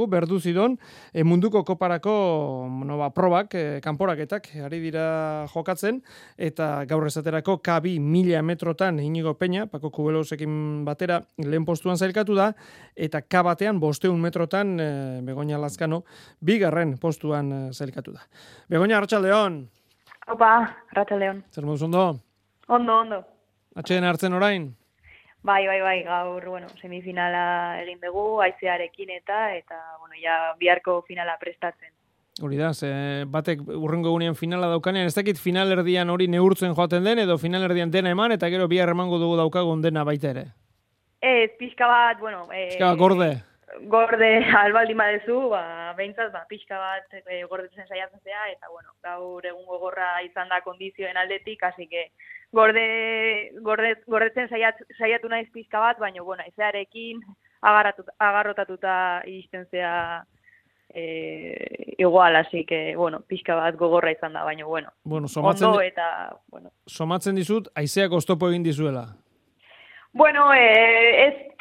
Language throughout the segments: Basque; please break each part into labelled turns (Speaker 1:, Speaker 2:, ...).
Speaker 1: berdu zidon munduko koparako probak, kanporaketak ari dira jokatzen eta gaur esaterako K2 1000 metrotan Inigo Peña, Paco Cubelosekin batera lehen postuan zailkatu da eta K1 500 metrotan Begoña Lazkano bigarren postuan zailkatu da. Begoña, arratsaldeon.
Speaker 2: Opa, arratsaldeon.
Speaker 1: Zer moduz ondo?
Speaker 2: Ondo.
Speaker 1: Atxeden hartzen orain?
Speaker 2: Bai, gaur, semifinala egin dugu, haizearekin eta ja biharko finala prestatzen.
Speaker 1: Hori da, batek urrengo egunean finala daukanean, ez dakit finalerdian hori neurtzen joaten den, edo finalerdian dena eman, eta gero bihar emango dugu daukagun dena baita ere.
Speaker 2: Ez, pixka bat,
Speaker 1: pixka bat gorde.
Speaker 2: Gorde albaldin badezu, behintzat, pixka bat gordetzen saiatzen zea, eta gaur egun gogorra izan da kondizioen aldetik, hasi que gordetzen saiatu naiz pixka bat, baina, ezearekin agarrotatuta iristen zea igual, así que, pixka bat gogorra izan da, baina, ondo eta,
Speaker 1: Somatzen dizut, haizeak oztopo egin dizuela.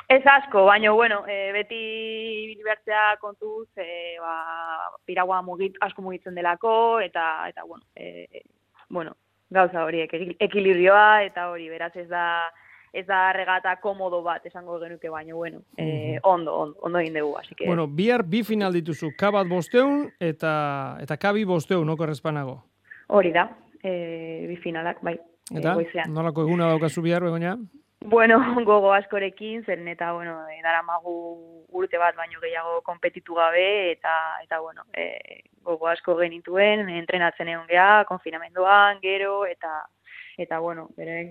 Speaker 2: Ez asko, baina, beti bilibertzea kontuz, piragua asko mugitzen delako, eta gauza horiek, ekilibrioa, eta hori, beraz ez da regata komodo bat, esango genuke, baina, ondo egin dugu, así que...
Speaker 1: Bihar bi final dituzu, K1 500 eta K2 500, noko errezpanago?
Speaker 2: Hori da, bi finalak, bai.
Speaker 1: Eta, nolako eguna daukazu bihar, Begoña?
Speaker 2: Gogo askorekin, zeren eta, daramagu urte bat baino gehiago konpetitu gabe, eta gogo asko genituen, entrenatzen egon geha, konfinamenduan, gero, eta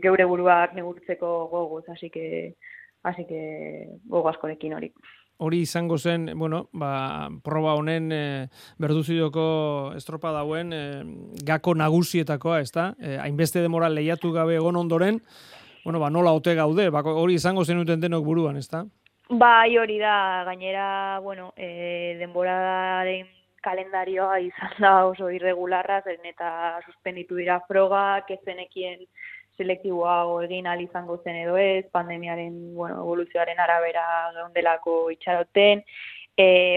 Speaker 2: geure buruak negurtzeko gogoz, así que gogo askorekin hori.
Speaker 1: Hori izango zen, proba honen berduzidoko estropa dauen gako nagusietakoa, ez da? Hainbeste demora lehiatu gabe egon ondoren, nola ote gaude, hori izango zenuten denok buruan, ez da?
Speaker 2: Bai, hori da, gainera, denboraren kalendarioa izan da oso irregularra, zeren eta suspenditu dira frogak, ez zenekien selektiboa egin ahal izango zen edo ez, pandemiaren evoluzioaren arabera geundelako itxaroten,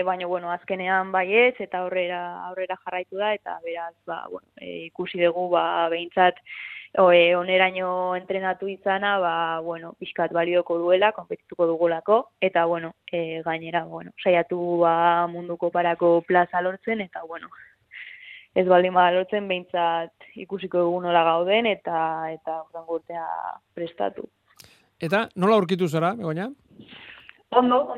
Speaker 2: baina, azkenean bai ez, eta aurrera jarraitu da, eta beraz, ikusi dugu, behintzat, oneraino entrenatu izana, pixkat balioko duela, konpetituko dugulako, eta, gainera, saiatu munduko parako plaza lortzen, eta, ez baldin bada lortzen, behintzat ikusiko dugu nola gauden, eta urtengo urtea prestatu.
Speaker 1: Eta, nola aurkitu zara, Begoña?
Speaker 2: Ondo,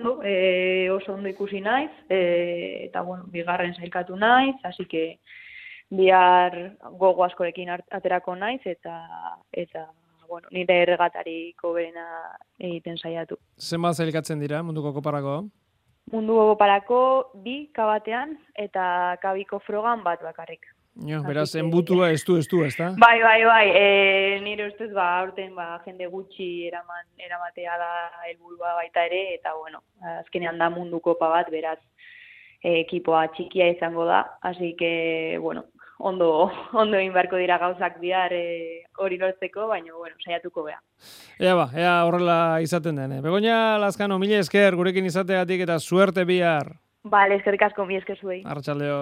Speaker 2: oso ondo ikusi naiz, eta, bigarren sailkatu naiz, hasi que bihar gogo askorekin aterako naiz, eta nire erregatariko berena egiten saiatu.
Speaker 1: Zenbat zailkatzen dira munduko koparako?
Speaker 2: Munduko koparako 2 K1 eta K2ko frogan bat bakarrik.
Speaker 1: Beraz, enbutua ez du, ez da?
Speaker 2: Bai. Nire ustez, aurten jende gutxi eramatea da helburua baita ere, eta azkenean da munduko kopa bat, beraz, ekipoa txikia izango da, así que, ondo egin beharko dira gauzak bihar hori lortzeko, baina, saiatuko beha.
Speaker 1: Ea horrela izaten den. Begoña Lazkano, mila esker gurekin izateagatik eta suerte bihar.
Speaker 2: Bale, eskerrik asko, mila esker zuei.
Speaker 1: Arratsaldeon.